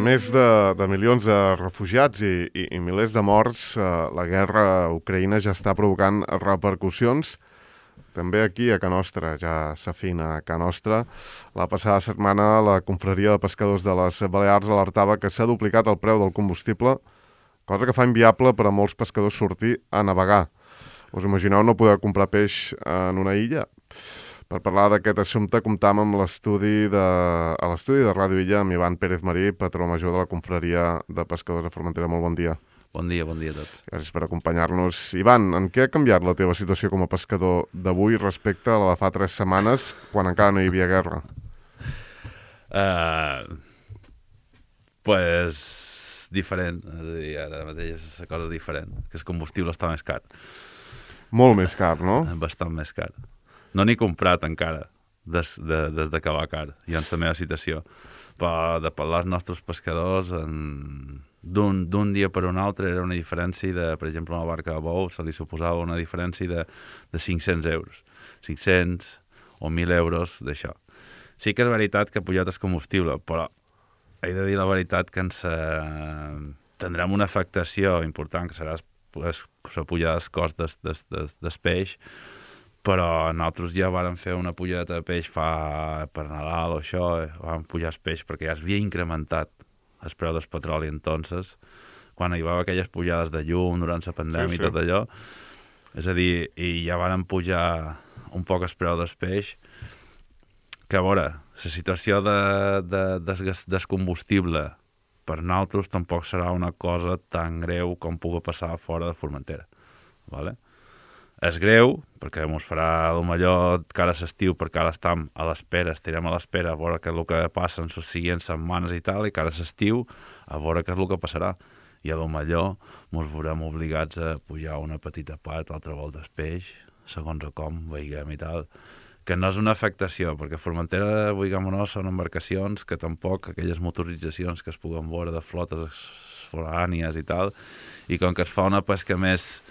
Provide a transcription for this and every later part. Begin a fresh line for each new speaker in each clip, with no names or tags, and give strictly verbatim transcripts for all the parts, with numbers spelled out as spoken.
més de, de milions de refugiats i, i, i milers de morts, eh, la guerra a Ucraïna ja està provocant repercussions. També aquí, a Ca Nostra, ja s'afina a Ca Nostra. La passada setmana, la confraria de pescadors de les Balears alertava que s'ha duplicat el preu del combustible, cosa que fa inviable per a molts pescadors sortir a navegar. Us imagineu no poder comprar peix en una illa? Per parlar d'aquest assumpte, comptam amb l'estudi de, a l'estudi de Ràdio Illa amb Ivan Pérez Marí, patró major de la confraria de pescadors de Formentera. Molt bon dia.
Bon dia, bon dia a tots.
Gràcies per acompanyar-nos. Ivan, en què ha canviat la teva situació com a pescador d'avui respecte a la de fa tres setmanes, quan encara no hi havia guerra?
Uh, pues diferent, és a dir, ara mateix la cosa és diferent, que el combustible està més car.
Molt més car, no?
Bastant més car. No n'he comprat encara, des, de, des de que va car, ja en la meva situació. Però de parlar als nostres pescadors, d'un dia per un altre era una diferència de, per exemple, una barca de bou, se li suposava una diferència de, de cinc-cents euros. cinc-cents o mil euros d'això. Sí que és veritat que ha pujat el combustible, però he de dir la veritat que ens eh, tindrem una afectació important, que serà la pujada dels cost des, des, des, des peix, però nosaltres ja vàrem fer una pujada de peix fa per Nadal o això, eh? Vam pujar el peix perquè ja s'havia incrementat el preu del petroli entonces, quan hi va haver aquelles pujades de llum durant la pandèmia sí, sí. I tot allò, és a dir, i ja vàrem pujar un poc el preu del peix, que a veure, la situació de, de, de, del combustible per nosaltres tampoc serà una cosa tan greu com pugui passar fora de Formentera, vale? És greu, perquè ens farà el millor cara a l'estiu, perquè ara estem a l'espera, estirem a l'espera a veure què és el que passa en les següents setmanes i tal, i cara a l'estiu a veure què és el que passarà. I a lo millor ens veurem obligats a pujar una petita part, altra volta el peix, segons com veiguem i tal, que no és una afectació, perquè Formentera, veiguem o no, són embarcacions que tampoc aquelles motoritzacions que es puguen veure de flotes forànies i tal, i com que es fa una pesca més...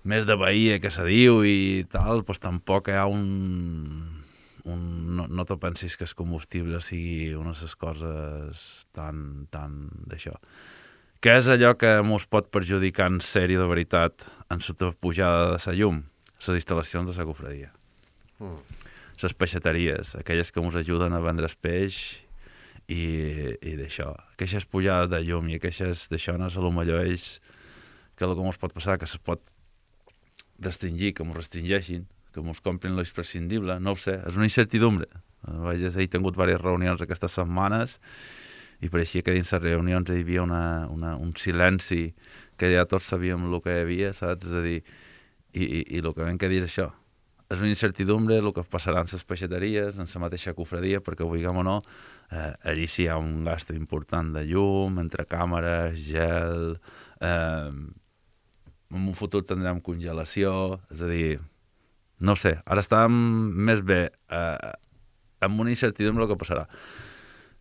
més de bahia que se diu i tal, doncs tampoc hi ha un... un no, no te pensis que el combustible sigui una de les coses tan, tan d'això. Què és allò que ens pot perjudicar en sèrio de veritat en la pujada de la llum? Les instal·lacions de la cofradia. Mm. Les peixateries, aquelles que ens ajuden a vendre el peix i, i d'això. Aquestes pujades de llum i aquestes d'això no és a lo millor ells que el que ens pot passar, que se pot restringir, que m'ho restringeixin, que m'ho comprin l'imprescindible, no ho sé, és una incertidumbre. Vaig he tingut diverses reunions aquestes setmanes i pareixia que dins les reunions hi havia una, una, un silenci que ja tots sabíem el que hi havia, saps? És a dir, i, i, i el que vam que dir és això. És una incertidumbre el que passarà en les peixateries, en la mateixa cofradia, perquè ho diguem o no, eh, allí sí hi ha un gast important de llum, entre càmeres, gel... Eh, en un futur tindrem congelació, és a dir, no sé, ara estàvem més bé eh, amb una incertidumbre el que passarà.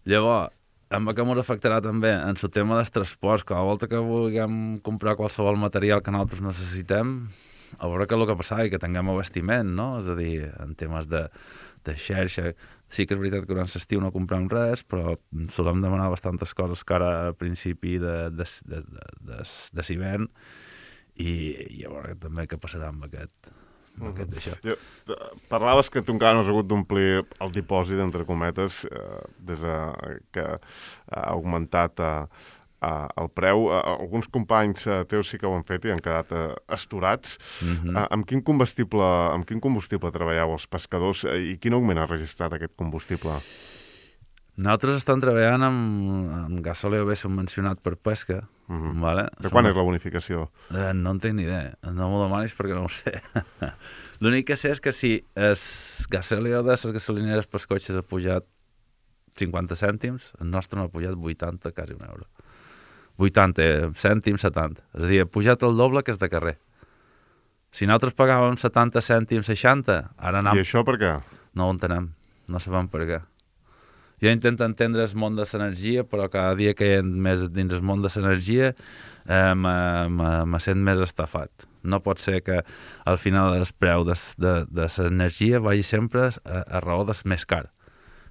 Llavors, amb què ens afectarà també en el tema dels transports, que a la volta que vulguem comprar qualsevol material que nosaltres necessitem, a veure què és el que passarà i que tinguem abastiment, no? És a dir, en temes de, de xarxa, sí que és veritat que durant l'estiu no comprem res, però solem demanar bastantes coses que ara a principi de, de, de, de, de, de l'hivern, i, i a veure també què passarà amb aquest, amb aquest d'això.
Jo, parlaves que tu encara no has hagut d'omplir el dipòsit, entre cometes, eh, des de, que ha augmentat eh, eh, el preu. Eh, alguns companys eh, teus sí que ho han fet i han quedat eh, esturats. Mm-hmm. eh, amb, quin combustible, amb quin combustible treballeu els pescadors eh, i quin augment ha registrat aquest combustible?
Nosaltres estem treballant amb, amb gasòlia bé subvencionat per pesca. Mm-hmm. Vale?
De quan Som... és la bonificació?
Eh, no en tinc ni idea. No m'ho demanis perquè no ho sé. L'únic que sé és que si el gasòlia de les gasolineres per cotxes ha pujat cinquanta cèntims, el nostre no ha pujat vuitanta, quasi un euro. vuitanta cèntims, setanta. És a dir, ha pujat el doble que és de carrer. Si nosaltres pagàvem setanta cèntims, seixanta, ara anem...
I això per què?
No ho entenem. No sabem per què. Jo intento entendre el món de l'energia, però cada dia que hi ha més dins el món de l'energia eh, me sent més estafat. No pot ser que al final el preu de, de, de l'energia vagi sempre a, a raó del més car.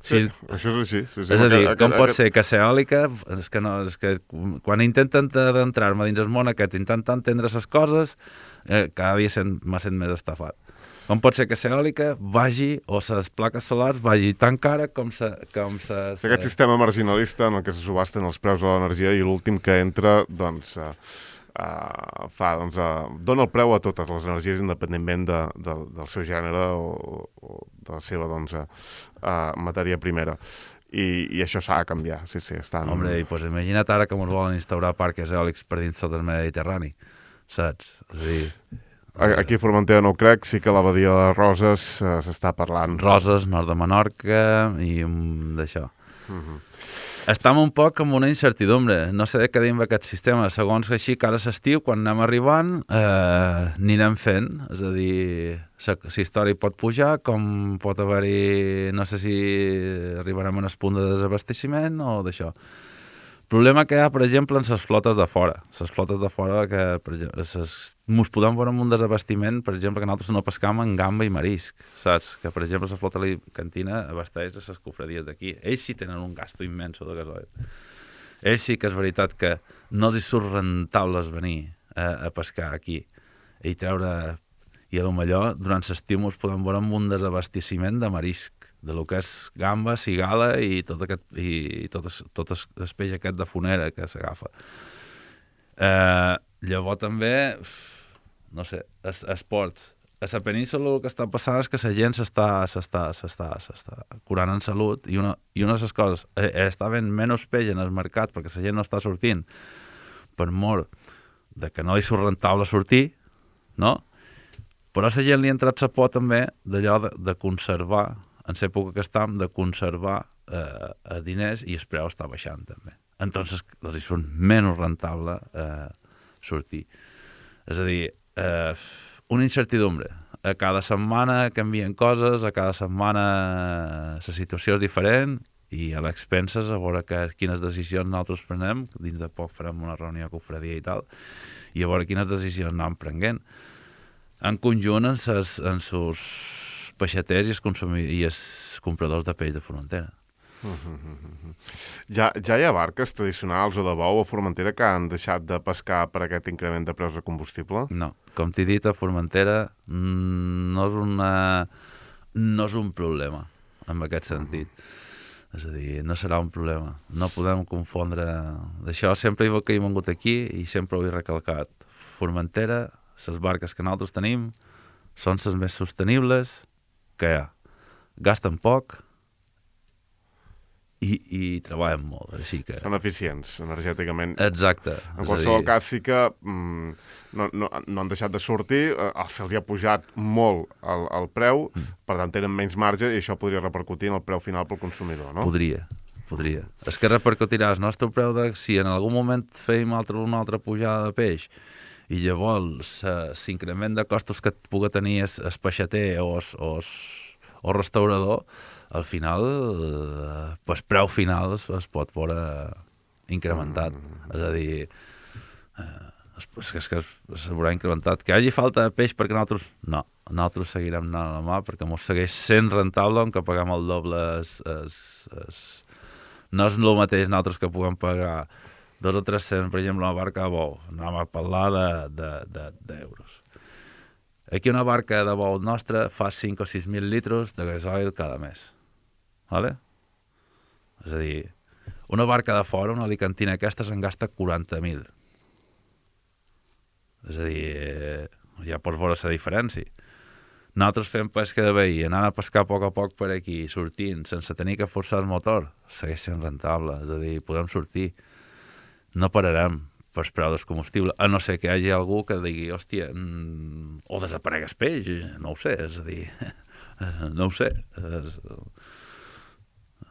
Sí, sí, això és així. Sí, sí,
és a dir,
aquest,
com
aquest,
pot ser que ser eòlica, és que, no, és que quan intenten d'entrar-me dins el món aquest, intentant entendre les coses, eh, cada dia sent, m'ha sent més estafat. Com pot ser que ser eòlica vagi, o les plaques solars vagi tan cara com se... Com se, se...
Aquest sistema marginalista en el que se subhasten els preus de l'energia i l'últim que entra, doncs, uh, uh, fa, doncs, uh, dona el preu a totes les energies independentment de, de, del seu gènere o, o de la seva, doncs, uh, uh, matèria primera. I, i això s'ha de canviar, sí, sí. Estan...
Hombre, i pues imagina't ara que ens volen instaurar parcs eòlics per dins tot el Mediterrani, saps? És a dir...
Aquí a Formentera no ho crec, sí que a la Badia de Roses uh, s'està parlant.
Roses, nord de Menorca i um, d'això.
Uh -huh.
Estem un poc amb una incertidumbre. No sé de què dir amb aquest sistema. Segons que així, que ara s'estiu, quan anem arribant, eh, anirem fent. És a dir, la història pot pujar, com pot haver-hi... No sé si arribarem a un punt de desabasteciment o d'això. El problema que hi ha, per exemple, en les flotes de fora. Les flotes de fora que, per exemple, ses, mos podem veure amb un desabastiment, per exemple, que nosaltres no pescam en gamba i marisc, saps? Que, per exemple, la flota alicantina abasteix a les cofradies d'aquí. Ells sí tenen un gasto immenso de gasoil. Ells sí que és veritat que no els surt rentables venir a, a pescar aquí i treure... I potser durant l'estiu mos podem veure amb un desabasteciment de marisc, de lo que és gamba, cigala i tot aquest, i tot, es, tot es, el peix aquest de fonera que s'agafa. Eh, llavors també, no sé, es, esports. A la península el que està passant és que la gent s'està s'està s'està s'està curant en salut i una, i una de les coses, eh, està havent menys peix en el mercat perquè la gent no està sortint per mort de que no li surt rentable sortir, no? Però a la gent li ha entrat la por també d'allò de, de conservar, en l'època que estem, de conservar eh, els diners i el preu està baixant també. Entonces, els surt menys rentable eh, sortir. És a dir, eh, una incertidumbre. A cada setmana canvien coses, a cada setmana la situació és diferent i a l'expenses a veure que, quines decisions nosaltres prenem, dins de poc farem una reunió a cofradia i tal, i a veure quines decisions anem prenent. En conjunt en ses, en sus peixaters i els, i els compradors de peix de Formentera.
Uh -huh. ja, ja hi ha barques tradicionals o de bou a Formentera que han deixat de pescar per aquest increment de preus de combustible?
No, com t'he dit, a Formentera no és, una, no és un problema en aquest sentit. Uh -huh. És a dir, no serà un problema. No podem confondre... D'això sempre que he vingut aquí i sempre ho he recalcat. Formentera, les barques que nosaltres tenim són les més sostenibles que hi ha. Gasten poc i, i treballen molt, així que...
Són eficients energèticament.
Exacte.
En qualsevol dir... cas sí que mm, no, no, no han deixat de sortir, eh, se'ls ha pujat molt el, el preu, mm. per tant tenen menys marge i això podria repercutir en el preu final pel consumidor, no?
Podria, podria. És que repercutirà el nostre preu de... Si en algun moment feim altra, una altra pujada de peix i llavors l'increment de costos que pugui tenir el peixater o el restaurador, al final el eh, preu final es, es pot veure incrementat. Mm. És a dir, eh, és, és que es veurà incrementat. Que hi hagi falta de peix perquè nosaltres... No, nosaltres seguirem anant a la mà perquè ens segueix sent rentable on que paguem el doble. Es, es, es... No és el mateix nosaltres que puguem pagar dos o tres cents, per exemple, una barca de bou. Anem a parlar d'euros. De, de, de Aquí una barca de bou nostra fa cinc o sis mil litres de gasoil cada mes. Vale? És a dir, una barca de fora, una alicantina aquesta, se'n gasta quaranta mil. És a dir, ja pots veure la diferència. Nosaltres fem pesca de veí, anant a pescar a poc a poc per aquí, sortint, sense tenir que forçar el motor, segueix sent rentable. És a dir, podem sortir. No pararem per preu del combustible, a no ser que hi hagi algú que digui, hòstia, mm, o desaparega el peix, no ho sé, és a dir, no ho sé. És,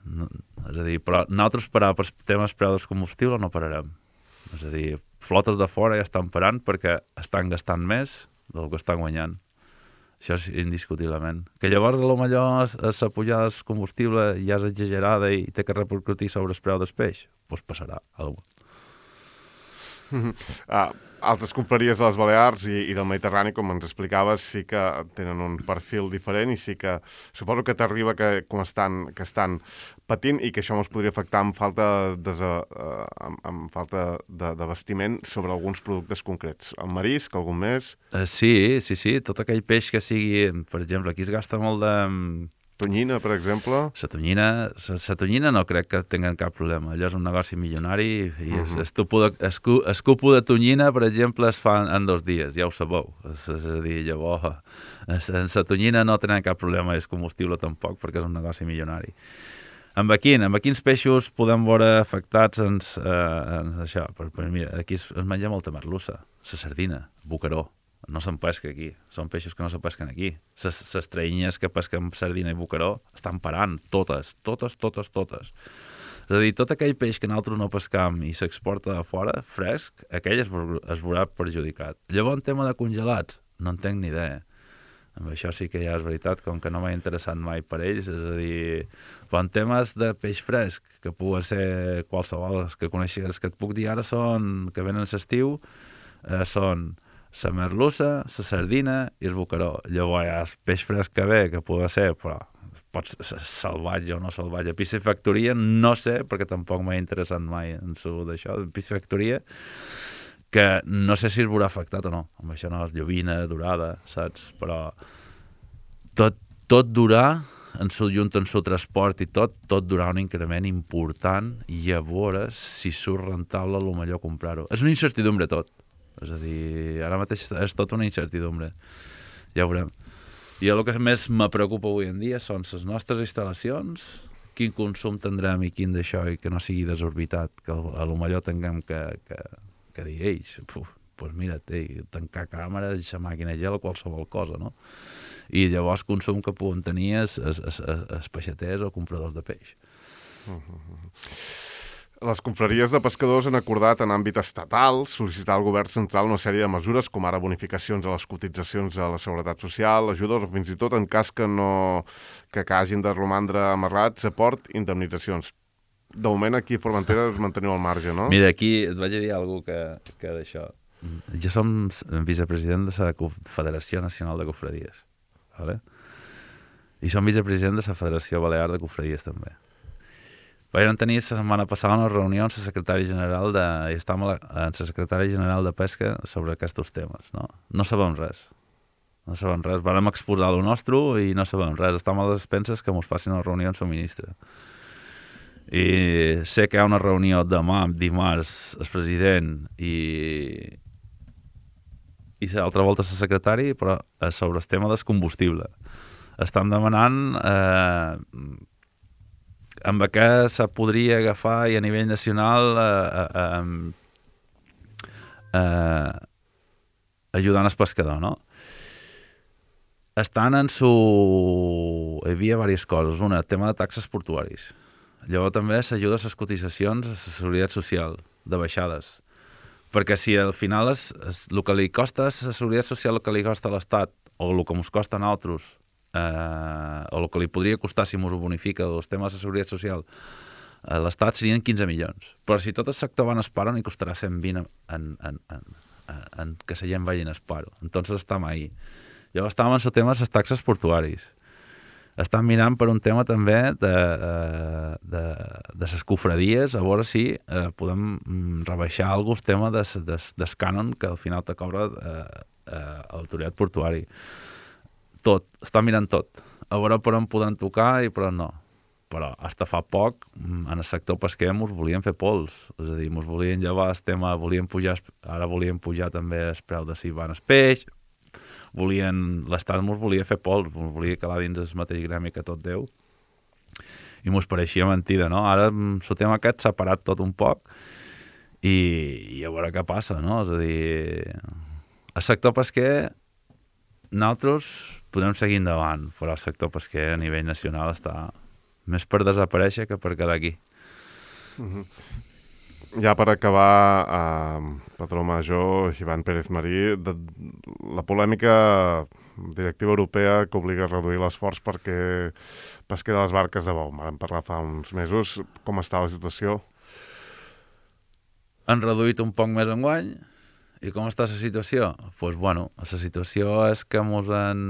no, és a dir, però nosaltres parar per temes preu del combustible no pararem. És a dir, flotes de fora ja estan parant perquè estan gastant més del que estan guanyant. Això és indiscutiblement. Que llavors, potser, la pujada del combustible ja és exagerada i té que repercutir sobre el preu del peix, doncs passarà alguna cosa.
Uh, altres confraries de les Balears i, i del Mediterrani, com ens explicaves, sí que tenen un perfil diferent i sí que suposo que t'arriba que, com estan, que estan patint i que això ens podria afectar amb falta, de, uh, amb, amb falta de, de vestiment sobre alguns productes concrets. El marisc, algun més?
Uh, sí, sí, sí, tot aquell peix que sigui, per exemple, aquí es gasta molt de...
Tonyina, per exemple?
La tonyina, la tonyina no crec que tinguin cap problema. Allò és un negoci milionari i uh -huh. el cupo de tonyina, per exemple, es fa en dos dies, ja ho sabeu. És, és a dir, llavors, la tonyina no tenen cap problema, és combustible tampoc, perquè és un negoci milionari. Amb quin? Amb quins peixos podem veure afectats en, eh, en això? Per, per, mira, aquí es, es menja molta merlussa, la sardina, boqueró. No se'n pesca aquí, són peixos que no se pesquen aquí. Les traïnyes que pesquen sardina i boqueró estan parant, totes, totes, totes, totes. És a dir, tot aquell peix que nosaltres no pescam i s'exporta a fora, fresc, aquell es, es veurà perjudicat. Llavors, en tema de congelats, no en tenc ni idea. Amb això sí que ja és veritat, com que no m'ha interessat mai per ells, és a dir, però en temes de peix fresc, que pugui ser qualsevol, els que coneixes, els que et puc dir ara són, que venen a l'estiu, eh, són la merlussa, la sardina i el boqueró. Llavors hi ha el peix fresc que ve, que pugui ser, però pot ser salvatge o no salvatge. Piscifactoria, no sé, perquè tampoc m'ha interessat mai en su d'això, piscifactoria, que no sé si es veurà afectat o no. Amb això no, llovina, dorada, saps? Però tot, tot durà, en su junt, en su transport i tot, tot durà un increment important i a veure si surt rentable el millor comprar-ho. És una incertidumbre tot. És a dir, ara mateix és tot una incertidumbre. Ja ho veurem. I el que més me preocupa avui en dia són les nostres instal·lacions, quin consum tindrem i quin d'això, i que no sigui desorbitat, que a lo millor tinguem que, que, que dir ells, doncs pues mira, ei, tancar càmeres, deixar màquina gel o qualsevol cosa, no? I llavors consum que puguen tenir els, els, els, els peixaters o compradors de peix.
Uh -huh. Les confraries de pescadors han acordat en àmbit estatal sol·licitar al govern central una sèrie de mesures, com ara bonificacions a les cotitzacions a la Seguretat Social, ajudes o fins i tot, en cas que no que, que hagin de romandre amarrats, aport, indemnitzacions. De moment aquí a Formentera us manteniu al marge, no?
Mira, aquí et vaig a dir alguna cosa que, que d'això. Jo som vicepresident de la Federació Nacional de Cofradies, ¿vale? I som vicepresident de la Federació Balear de Cofradies també. Vam tenir la setmana passada una reunió amb la secretària general de, i estàvem en la secretària general de Pesca sobre aquests temes. No, no sabem res. No sabem res. Vam exposar el nostre i no sabem res. Estem a les expenses que ens facin una reunió amb el ministre. I sé que hi ha una reunió demà, dimarts, el president i, i l'altra volta el secretari, però sobre el tema del combustible. Estan demanant... Eh, amb què se podria agafar i a nivell nacional eh, eh, eh, ajudant el pescador, no? Estan en su... Hi havia diverses coses. Una, el tema de taxes portuaris. Llavors també s'ajuda a les cotitzacions a la Seguretat Social, de baixades. Perquè si al final és, és, el que li costa a la Seguretat Social, el que li costa a l'Estat, o el que ens costa a nosaltres, Uh, o el que li podria costar si ens ho bonifica els temes de seguretat social a l'Estat serien quinze milions, però si tot el sector va en esparo n'hi costarà cent vint en, en, en, en, en que la gent vagi en esparo. Entonces estem ahí. Llavors estàvem en el tema de les taxes portuaris. Estan mirant per un tema també de, de, de les cofradies, a veure si eh, podem rebaixar algun tema del de, de, cànon que al final te cobra eh, eh, l'autoritat portuari. Tot, està mirant tot. A veure per on podem tocar i per on no. Però fins fa poc, en el sector pesquer ens volien fer pols. És a dir, ens volien llevar el tema, volien pujar, ara volien pujar també el preu de si van el peix, volien, l'Estat ens volia fer pols, ens volia calar dins el mateix gremi que tot Déu. I ens pareixia mentida, no? Ara el tema aquest s'ha parat tot un poc i, i a veure què passa, no? És a dir, el sector pesquer nosaltres podem seguir endavant, però el sector pesquer a nivell nacional està més per desaparèixer que per quedar aquí.
Uh-huh. Ja per acabar, eh, patró major Ivan Pérez Marí, de, la polèmica directiva europea que obliga a reduir l'esforç perquè pesqui de les barques de bou. Vam parlar fa uns mesos. Com està la situació?
han reduït un poc més enguany. I com està la situació? Doncs, pues, bueno, la situació és que ens han,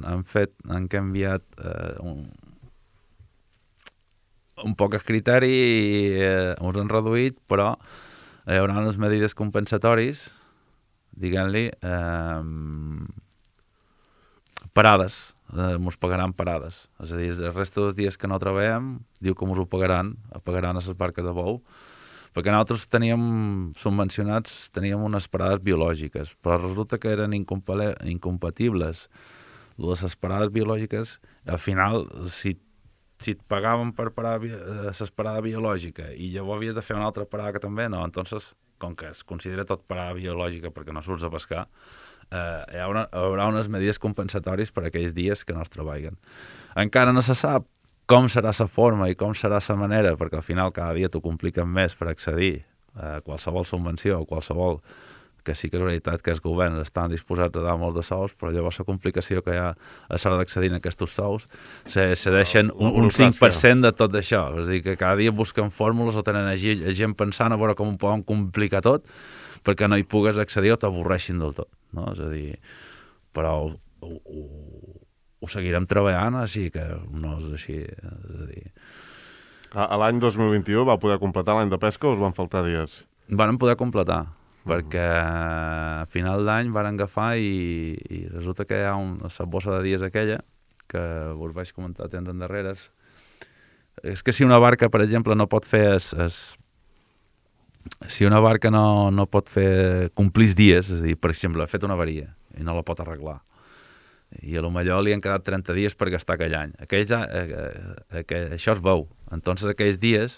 han fet, han canviat eh, un, un poc el criteri i eh, ens han reduït, però hi haurà unes medides compensatoris, diguem-li, eh, parades, eh, ens pagaran parades. És a dir, el resta dels dies que no treballem, diu que ens ho pagaran, pagaran a les barques de bou, perquè nosaltres teníem subvencionats, teníem unes parades biològiques, però resulta que eren incompatibles. Les parades biològiques, al final, si, si et pagaven per parar la parada biològica i llavors havies de fer una altra parada que també no, entonces, com que es considera tot parada biològica perquè no surts a pescar, eh, hi haurà, hi haurà unes medides compensatòries per aquells dies que no es treballen. Encara no se sap com serà la forma i com serà la manera, perquè al final cada dia t'ho compliquen més per accedir a qualsevol subvenció o qualsevol, que sí que és veritat que els governs estan disposats a dar molts de sous, però llavors la complicació que hi ha a l'hora d'accedir a aquests sous se, se deixen un, un cinc per cent de tot això. És a dir, que cada dia busquen fórmules o tenen gent pensant a veure com ho poden complicar tot perquè no hi pugues accedir o t'avorreixin del tot. No? És a dir, però ho, ho, ho seguirem treballant, així que no és així. És a dir...
A l'any dos mil vint-i-u va poder completar l'any de pesca o us van faltar dies?
Van poder completar, uh-huh. perquè a final d'any van agafar i, i resulta que hi ha una bossa de dies aquella, que us vaig comentar temps endarreres. És que si una barca, per exemple, no pot fer... Es, es, si una barca no, no pot fer complir els dies, és a dir, per exemple, ha fet una avaria i no la pot arreglar, i a lo millor li han quedat trenta dies per gastar aquell any. Aquells, eh, eh, això es veu. Entonces aquells dies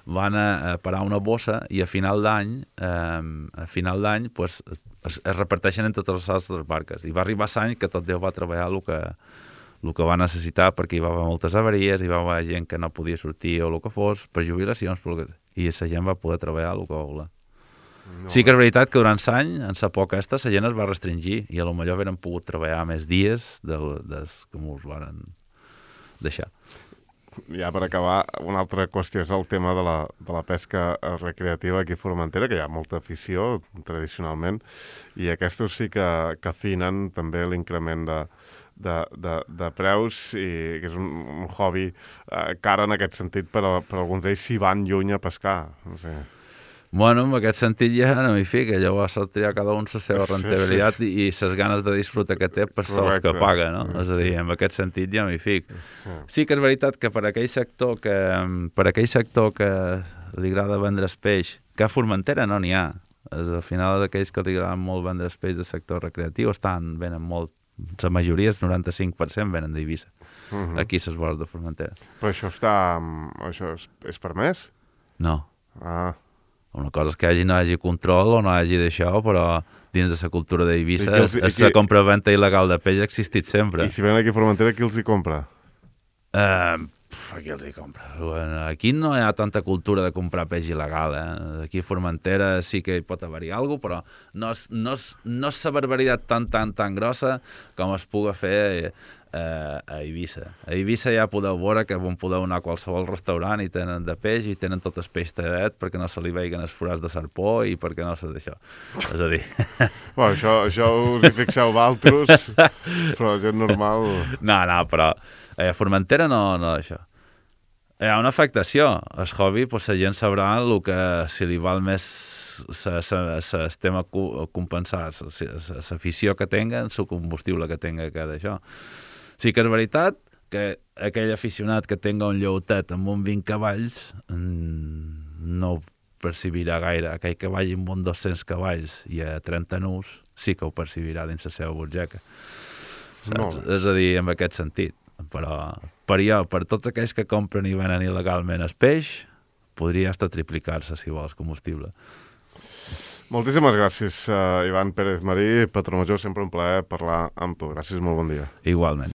van a, a parar una bossa i a final d'any eh, a final d'any pues, es, es reparteixen en totes les altres barques. I va arribar l'any que tot Déu va treballar el que, el que va necessitar, perquè hi va haver moltes avaries, hi va haver gent que no podia sortir o el que fos, per jubilacions, que, i la gent va poder treballar el que va voler. No. Sí que és veritat que durant l'any, en la poca aquesta, la gent es va restringir i a lo millor haurem pogut treballar més dies del, des que ens van deixar.
Ja per acabar, una altra qüestió és el tema de la, de la pesca recreativa aquí a Formentera, que hi ha molta afició tradicionalment, i aquests sí que, que afinen també l'increment de, de, de, de preus, i que és un, un hobby eh, car en aquest sentit, però, però alguns d'ells s'hi van lluny a pescar, no sé.
Bueno, en aquest sentit ja no m'hi fica, llavors s'ha triat cada un la seva rentabilitat sí, sí. i les ganes de disfrutar que té per sols que paga, no? Sí. És a dir, en aquest sentit ja m'hi fic. Sí que és veritat que per aquell sector que per aquell sector que li agrada vendre el peix, que a Formentera no n'hi ha, és, al final d'aquells que li agraden molt vendre el peix del sector recreatiu estan, venen molt, la majoria, el noranta-cinc per cent venen d'Eivissa, uh-huh. aquí a les vores de Formentera.
Però això està, això és, és permès?
No.
Ah.
Una cosa és que hi hagi, no hi hagi control o no hi hagi d'això, però dins de la cultura d'Eivissa la compra-venta il·legal de peix ha existit sempre.
I si ven aquí a Formentera, qui els hi compra?
Uh, aquí els hi compra. Aquí no hi ha tanta cultura de comprar peix il·legal. Eh? Aquí a Formentera sí que hi pot haver-hi alguna cosa, però no és, no és, no és la barbaritat tan, tan, tan grossa com es puga fer Uh, a Eivissa. A Eivissa ja podeu veure que on podeu anar a qualsevol restaurant i tenen de peix i tenen tot el peix tallat perquè no se li veiguen els forats de serpó i perquè no se d'això. És a dir...
Bueno, això, això us hi fixeu d'altres, però la gent normal...
No, no, però a Formentera no, no això. Hi ha una afectació. El hobby, pues, la gent sabrà el que si li val més el tema compensar, l'afició que tenga, el combustible que tenga que d'això. Sí que és veritat que aquell aficionat que tenga un lleutet amb un vint cavalls no ho percibirà gaire. Aquell que vagi amb un dos-cents cavalls i a trenta nus sí que ho percibirà dins la seva butxaca. No. És a dir, en aquest sentit. Però per jo, per tots aquells que compren i venen il·legalment el peix, podria estar triplicar-se, si vols, combustible.
Moltíssimes gràcies, uh, Ivan Pérez Marí, patró major, sempre un plaer parlar amb tu. Gràcies, molt bon dia.
Igualment.